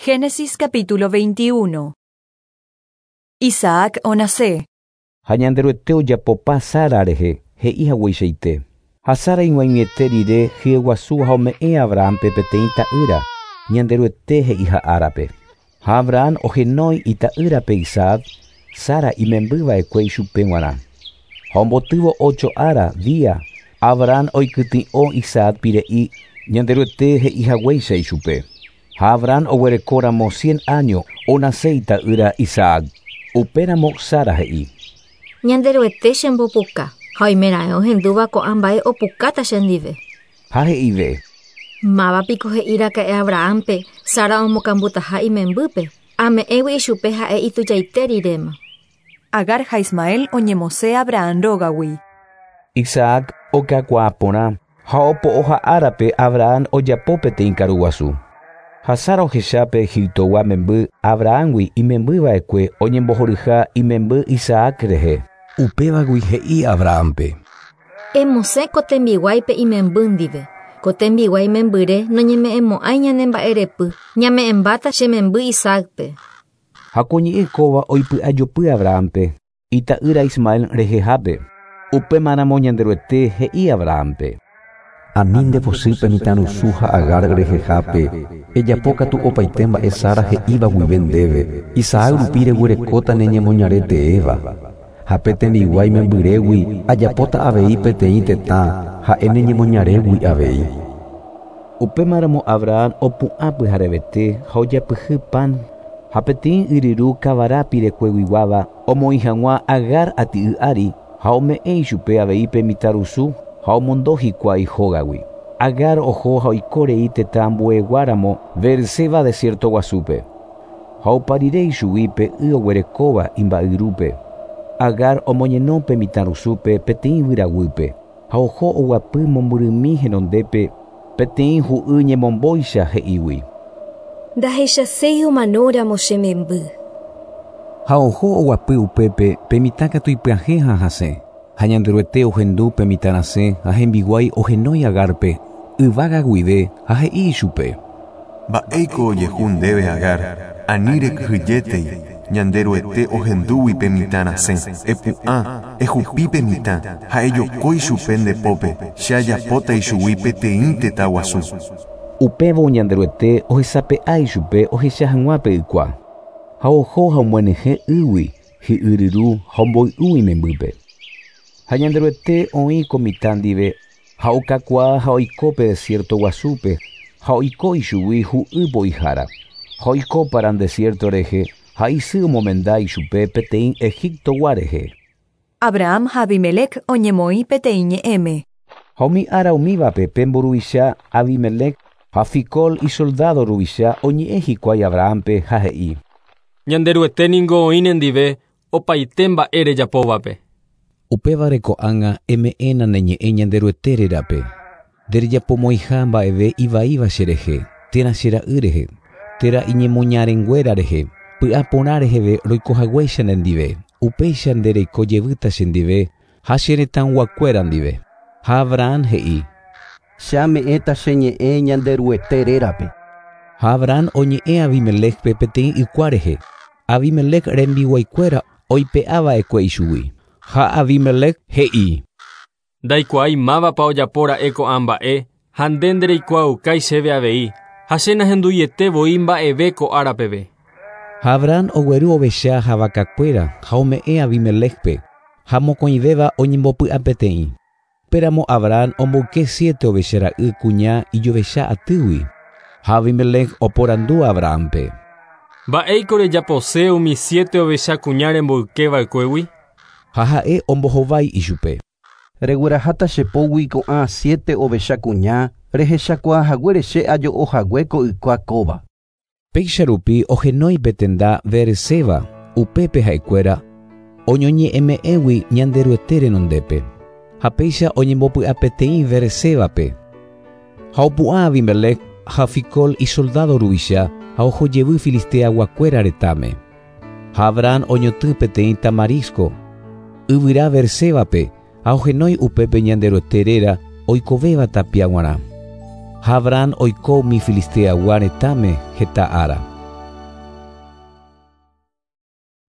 Génesis capítulo 21. Isaac onase. Ha Ñanderuete ojapopa Sara rehe, he'i hagueichaite. Ha Sara ig̃uaig̃uiete rire hyeguasu ha ome'ẽ Abrahampe peteĩ ta'ýra, Ñanderuete he'iha árape. Ha Abraham ohenói ita'ýrape Isaac, Sara imembyva'ekue ichupe g̃uarã. Ha ombotývo ocho ára, día, Abraham oikytĩ'o Isaac pire'i Ñanderuete he'ihaguéicha ichupe. Ha Abraham oguerekóramo 100 año onase ita'ýra Isaac. Upéramo Sara he'i. Ñanderuete chembopuka ha oimeraẽ ohendúva ko'ã mba'e opukáta chendive. Ha he'ive. Mávapiko he'iraka'e Abrahampe Sara omokambutaha imembýpe, ame'ẽgui ichupe ha'e itujaite riréma. Agar ha Ismael oñemosẽ Abraham rógagui. Isaac okakuaa porã ha opo'oha árape Abraham ojapo peteĩ karuguasu. Ha Sara ohechápe Egiptogua memby Abrahamgui imembyva'ekue oñembohoryha imemby Isaac rehe. Upévagui he'i Abrahampe. Emosẽ ko tembiguáipe imemby ndive. Ko tembiguái membyre noñeme'ẽmo'ãi ñane mba'erepy, ñame'ẽmbáta che memby Isaacpe. Ha ko ñe'ẽ kóva oipy'ajopy Abrahampe, ita'ýra Ismael rehehápe. Upémaramo Ñanderuete he'i Abrahampe. Ani ndepochýpe mitãrusu ha Agar rehehápe, ejapókatu opaite mba'e Sara he'íva guive ndéve, Isaac rupi reguerekóta ne ñemoñare teéva. Ha pe tembiguái membyrégui ajapóta avei peteĩ tetã, ha'e ne ñemoñarégui avei. Upémaramo Abraham opu'ã pyharevete ha ojapyhy pan ha peteĩ yryru kavara pirekueguiguáva omoĩ hag̃ua Agar ati'y ári ha ome'ẽ ichupe avei pe mitãrusu ha omondo hikuái hógagui. Agar oho ha oikorei tetã ambueguáramo Beerseba desierto guasúpe. Ha opa rire ichugui pe y oguerekóva imba'yrúpe. Agar omoñeno pe mitãrusúpe peteĩ yvyraguýpe ha oho oguapy mombyrymi henondépe peteĩ hu'y ñemombóicha he'ígui. Ndahechaséi omanóramo che memby. Ha oho oguapy upépe pe mitã katu ipyahẽ ha hasẽ. Ha Ñanderuete ohendu pe mitã rasẽ ha hembiguái ohenói Agarpe, yvága guive ha he'i ichupe. Mba'éiko ojehu ndéve Agar, ani rekyhyjétei, Ñanderuete ohendúgui pe mitã rasẽ. Epu'ã, ehupi pe mitã ha ejokói chupe nde pópe, che ajapóta ichugui peteĩ tetã guasu. Upévo Ñanderuete ohesape'a ichupe ohecha hag̃ua pe ykua. Ha oho ha omyenyhẽ ýgui hi'yryru ha omboy'u imembýpe. Ha Ñanderuete oĩ ko mitã ndive ha okakuaa ha oiko pe desierto guasúpe ha oiko ichugui hu'y po'ihára. Ha oiko Paran desierto rehe ha isy omomenda ichupe peteĩ Egiptogua rehe. Abraham ha Abimelec oñemoĩ peteĩ ñe'ẽme. Ha umi ára umívape pe mburuvicha Abimelec ha Ficol isoldado ruvicha oñe'ẽ hikuái Abrahampe ha he'i. Ñanderuete ningo oĩ nendive opaite mba'e rejapóvape. Upévare ko'ág̃a eme'ẽna ne ñe'ẽ Ñanderuete rérape. Nderejapomoĩha mba'eve ivaíva cherehe, térã che ra'y rehe, térã iñemoñarenguéra rehe, py'aporã reheve roikohaguéicha nendive, upéicha nde reiko jevýta chendive ha che retãyguakuéra ndive. Ha Abraham he'i. Che ame'ẽta che ñe'ẽ Ñanderuete rérape. Ha Abraham oñe'ẽ Abimelecpe peteĩ ykua rehe. Abimelec rembiguaikuéra oipe'ava'ekue ichugui. Ha Abimelec he'i. Ndaikuaái mávapa ojapóra'e ko'ã mba'e ha nde ndereikuaaukái chéve avei ha che nahenduiete voi mba'eve ko ára peve. Ha Abraham ogueru ovecha ha vakakuéra ha ome'ẽ Abimelecpe ha mokõivéva oñembopy'apeteĩ. Upéramo Abraham omboyke siete ovechara'y kuña ijovecha atýgui. Ha Abimelec oporandu Abrahampe. Mba'éiko rejapose umi siete ovecha kuña remboykeva'ekuégui? Ha ha'e ombohovái ichupe. Regueraháta che pógui ko'ã siete ovecha kuña rehechakuaahaguére che ajo'ohague ko ykua kóva. Péicha rupi ohenói pe tenda Beerseba, upépe ha'ekuéra oñoñe'ẽme'ẽgui Ñanderuete renondépe. Ha péicha oñembopy'apeteĩ Beersebape. Ha opu'ã Abimelec ha Ficol isoldado ruvicha ha ohojevy filisteaguakuéra retãme. Ha Abraham oñotỹ peteĩ tamarisco, yvyra Beersebape ha ohenói upépe Ñanderuete réra oikovéva tapia g̃uarã. Ha Abraham oiko umi filisteagua retãme heta ára.